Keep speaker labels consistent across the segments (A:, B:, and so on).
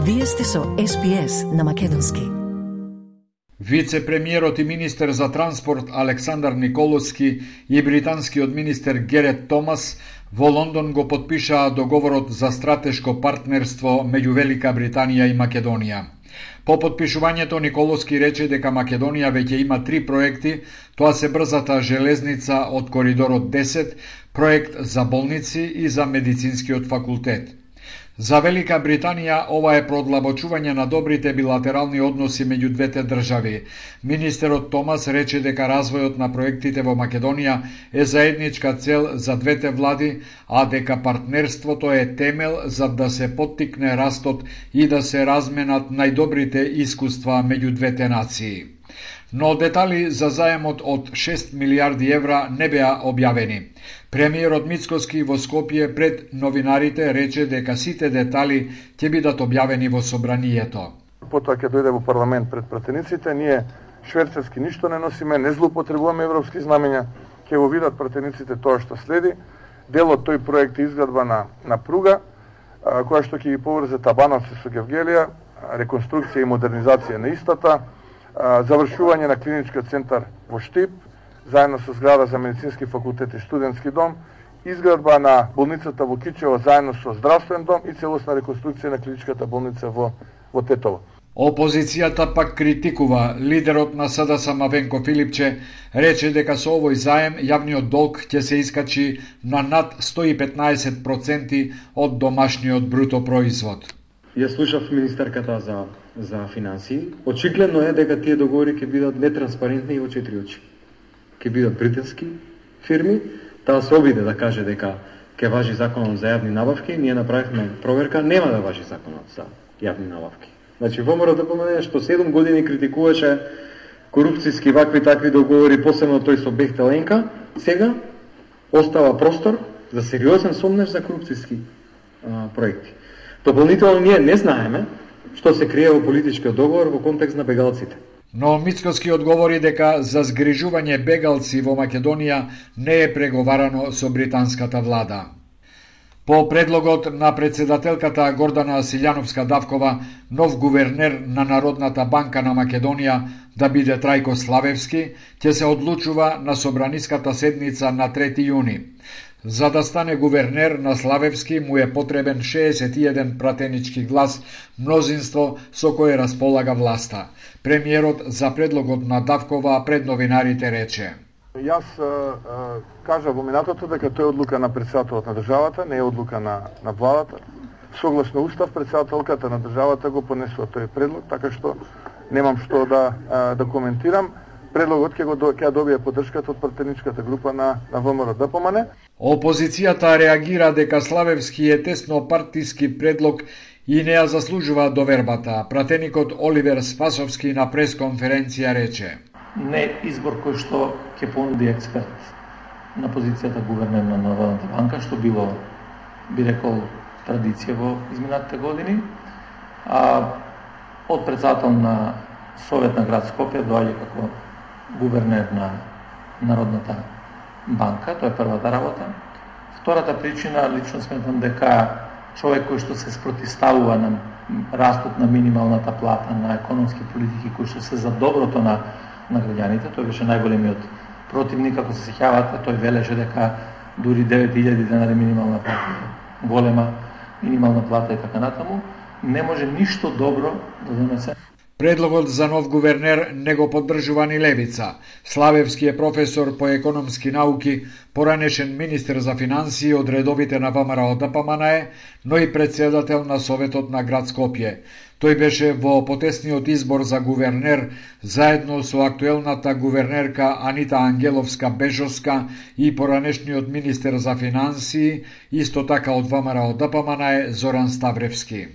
A: Вие сте со SPS на македонски.
B: Вице-премиерот и министер за транспорт Александар Николовски и британскиот министер Герет Томас во Лондон го потпишаа договорот за стратешко партнерство меѓу Велика Британија и Македонија. По потпишувањето Николовски рече дека Македонија веќе има 3 проекти, тоа се брзата железница од коридорот 10, проект за болници и за медицинскиот факултет. За Велика Британија ова е продлабочување на добрите билатерални односи меѓу двете држави. Министерот Томас рече дека развојот на проектите во Македонија е заедничка цел за двете влади, а дека партнерството е темел за да се поттикне растот и да се разменат најдобрите искуства меѓу двете нации. Но детали за заемот од 6 милиарди евра не беа објавени. Премиерот Мицкоски во Скопје пред новинарите рече дека сите детали ќе бидат објавени во собранието.
C: Потоа ќе дојде во парламент пред пратениците, ние шверцерски ништо не носиме, не злоупотребуваме европски знамења, ќе го видат пратениците тоа што следи. Дел од тој проект е изградба на пруга, која што ќе ги поврзе Табановци со Гевгелија, реконструкција и модернизација на истата, завршување на клиничкиот центар во Штип, заедно со зграда за медицински факултет и студентски дом, изградба на болницата во Кичево заедно со здравствен дом и целосна реконструкција на клиничката болница во Тетово.
B: Опозицијата пак критикува. Лидерот на СДСМ Венко Филипче рече дека со овој заем јавниот долг ќе се искачи на над 115% од домашниот бруто производ.
D: Ја слушав министерката за финансии. Очигледно е дека тие договори ќе бидат нетранспарентни и во 4 очи. Ќе бидат британски фирми, таа се обиде да каже дека ќе важи законот за јавни набавки, ние направивме проверка, нема да важи законот за јавни набавки. Значи, ВМРО да помене што 7 години критикуваше корупцијски вакви такви договори, посебно тој со Бехтеленка, сега остава простор за сериозен сомнеж за корупцијски проекти. Дополнително ние не знаеме што се крие во политичкиот договор во контекст на бегалците.
B: Но Мицкоски одговори дека за згрижување бегалци во Македонија не е преговарано со британската влада. По предлогот на председателката Гордана Силјановска-Давкова, нов гувернер на Народната банка на Македонија да биде Трајко Славевски, ќе се одлучува на собраниската седница на 3 јуни. За да стане гувернер на Славевски му е потребен 61 пратенички глас, мнозинство со кое располага власта. Премиерот за предлогот на Давкова пред новинарите рече:
C: Јас кажа во минатото дека тоа е одлука на претседателот на државата, не е одлука на владата. Согласно устав, претседателката на државата го понесува тој предлог, така што немам што да коментирам. Предлогот ќе добие поддршката од пратеничката група на ВМРО ДПМН.
B: Опозицијата реагира дека Славевски е тесно партиски предлог и не ја заслужува довербата. Пратеникот Оливер Спасовски на пресконференција рече:
E: Не избор кој што ќе понуди експерт на позицијата гувернер на Народната банка, што било, би рекол, традиција во изминатите години. Од председател на Совет на град Скопје доаѓа како гувернер на Народната банка, тоа е првата работа. Втората причина, лично сметам дека човек кој што се спротивставува на растот на минималната плата, на економски политики кои што се за доброто на граѓаните, тој беше најголемиот противник, ако се сеќавате, тој велеше дека дури 9000 денари минимална плата, голема минимална плата и така натаму, не може ништо добро да донесе.
B: Предлогот за нов гувернер не го поддржува ни левица. Славевски е професор по економски науки, поранешен министер за финансии од редовите на ВМРО ДПМН, но и председател на Советот на град Скопје. Тој беше во потесниот избор за гувернер заедно со актуелната гувернерка Анита Ангеловска-Бежовска и поранешниот министер за финансии, исто така од ВМРО ДПМН Зоран Ставревски.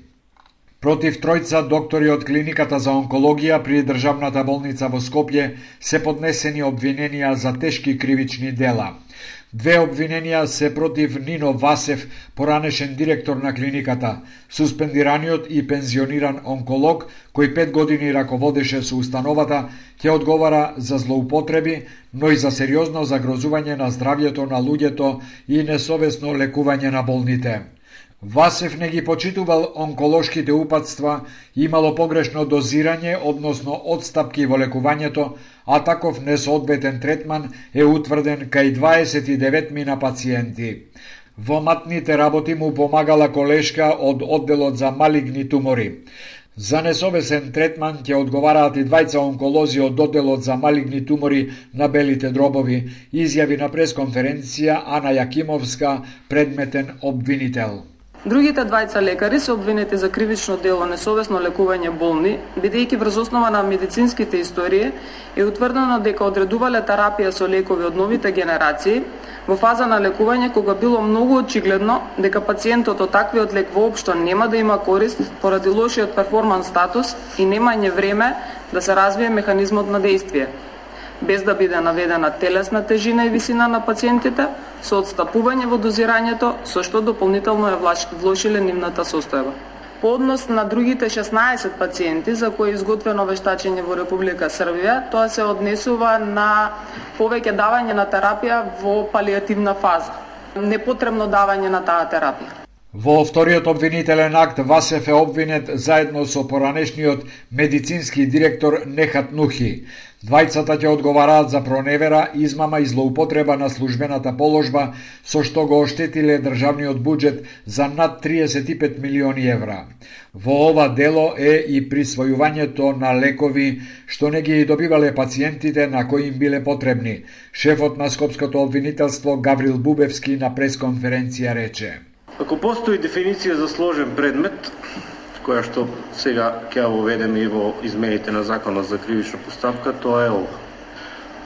B: Против тројца доктори од клиниката за онкологија при државната болница во Скопје се поднесени обвиненија за тешки кривични дела. 2 обвиненија се против Нино Васев, поранешен директор на клиниката, суспендираниот и пензиониран онколог, кој 5 години раководеше со установата, ќе одговара за злоупотреби, но и за сериозно загрозување на здравјето на луѓето и несовесно лекување на болните. Васев не ги почитувал онколошките упатства, имало погрешно дозирање, односно одстапки во лекувањето, а таков несоодветен третман е утврден кај 29 мина пациенти. Во матните работи му помагала колешка од одделот за малигни тумори. За несовесен третман ќе одговараат и двајца онколози од одделот за малигни тумори на белите дробови, изјави на пресконференција Ана Јакимовска, предметен обвинител.
F: Другите двајца лекари се обвинети за кривично дело несовесно лекување болни, бидејќи врз основа на медицинските истории е утврдено дека одредувале терапија со лекови од новите генерации во фаза на лекување кога било многу очигледно дека пациентот од таквиот лек воопшто нема да има корист поради лошиот перформанс статус и немање време да се развие механизмот на дејствие, без да биде наведена телесна тежина и висина на пациентите, со одстапување во дозирањето, со што дополнително е влошиле нивната состојба. По однос на другите 16 пациенти за кои е изготвено вештачење во Република Србија, тоа се однесува на повеќе давање на терапија во палиативна фаза. Непотребно давање на таа терапија.
B: Во вториот обвинителен акт Васев е обвинет заедно со поранешниот медицински директор Нехат Нухи. Двајцата ќе одговараат за проневера, измама и злоупотреба на службената положба, со што го оштетиле државниот буџет за над 35 милиони евра. Во ова дело е и присвојувањето на лекови што не ги добивале пациентите на кои им биле потребни. Шефот на Скопското обвинителство Гаврил Бубевски на пресконференција рече:
G: Ако постои дефиниција за сложен предмет, која што сега ќе ја воведеме и во измените на Законот за кривична постапка, тоа е ова.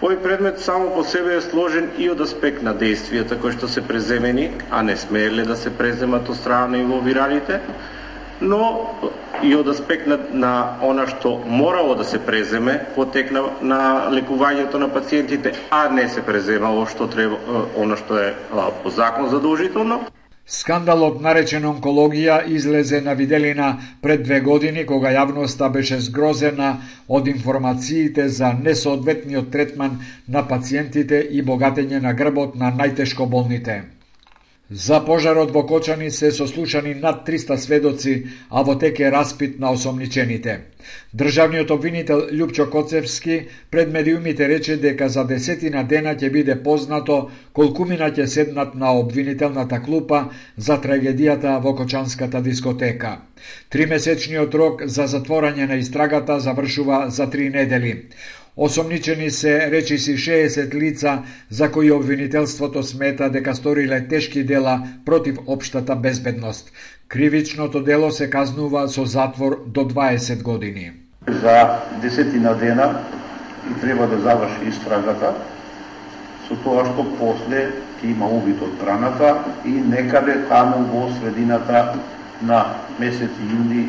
G: Овој предмет само по себе е сложен и од аспект на действијата кои што се преземени, а не смееле да се преземат од страна на инволвираните, но и од аспект на она што морало да се преземе во тек на лекувањето на пациентите, а не се преземало што треба, она што е по закон задолжително.
B: Скандалот наречен онкологија излезе на виделина пред 2 години, кога јавноста беше згрозена од информациите за несоодветниот третман на пациентите и богатење на грбот на најтешко болните. За пожарот во Кочани се сослушани над 300 сведоци, а во тек е распит на осомничените. Државниот обвинител Љупчо Коцевски пред медиумите рече дека за 10 дена ќе биде познато колкумина ќе седнат на обвинителната клупа за трагедијата во Кочанската дискотека. 3-месечниот рок за затворање на истрагата завршува за 3 недели. Осомничени се речиси 60 лица за кои обвинителството смета дека сториле тешки дела против општата безбедност. Кривичното дело се казнува со затвор до 20 години.
H: За 10 дена и треба да заврши истрагата, со тоа што после ќе има увид од страната и некаде таму во средината на месец јуни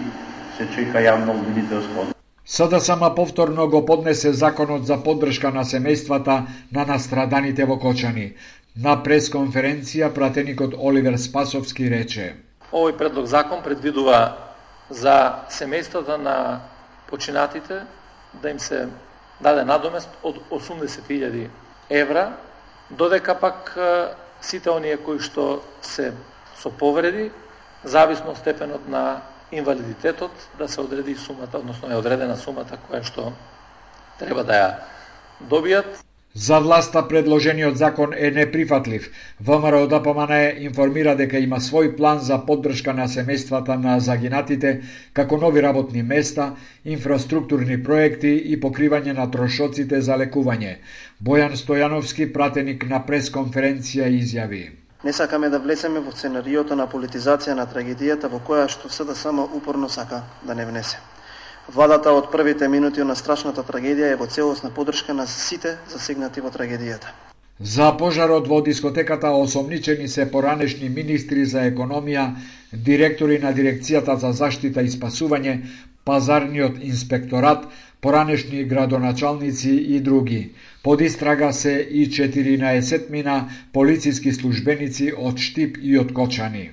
H: се чека јавно обвинителство.
B: СДСМ повторно го поднесе законот за поддршка на семејствата на настраданите во Кочани. На пресконференција пратеникот Оливер Спасовски рече:
E: Овој предлог закон предвидува за семејствата на починатите да им се даде надомест од 80.000 евра, додека пак сите оние кои што се со повреди, зависно од степенот на инвалидитетот, да се одреди сумата, односно е одредена сумата која што треба да ја добијат.
B: За власта предложениот закон е неприфатлив. ВМРО ДПМН информира дека има свој план за поддршка на семејствата на загинатите, како нови работни места, инфраструктурни проекти и покривање на трошоците за лекување. Бојан Стојановски, пратеник на пресконференција, изјави:
I: Не сакаме да влеземе во сценариото на политизација на трагедијата во која што СДСМ упорно сака да не внесе. Владата од првите минути на страшната трагедија е во целосна поддршка на сите засегнати во трагедијата.
B: За пожарот во дискотеката осомничени се поранешни министри за економија, директори на дирекцијата за заштита и спасување, пазарниот инспекторат, поранешни градоначалници и други. Под истрага се и 14 мина полициски службеници од Штип и од Кочани.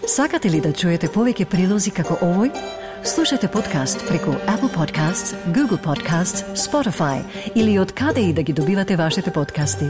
A: Сакате ли да чуете повеќе прилози како овој? Слушате подкаст преку Apple Podcasts, Google Podcasts, Spotify или од каде и да ги добивате вашите подкасти.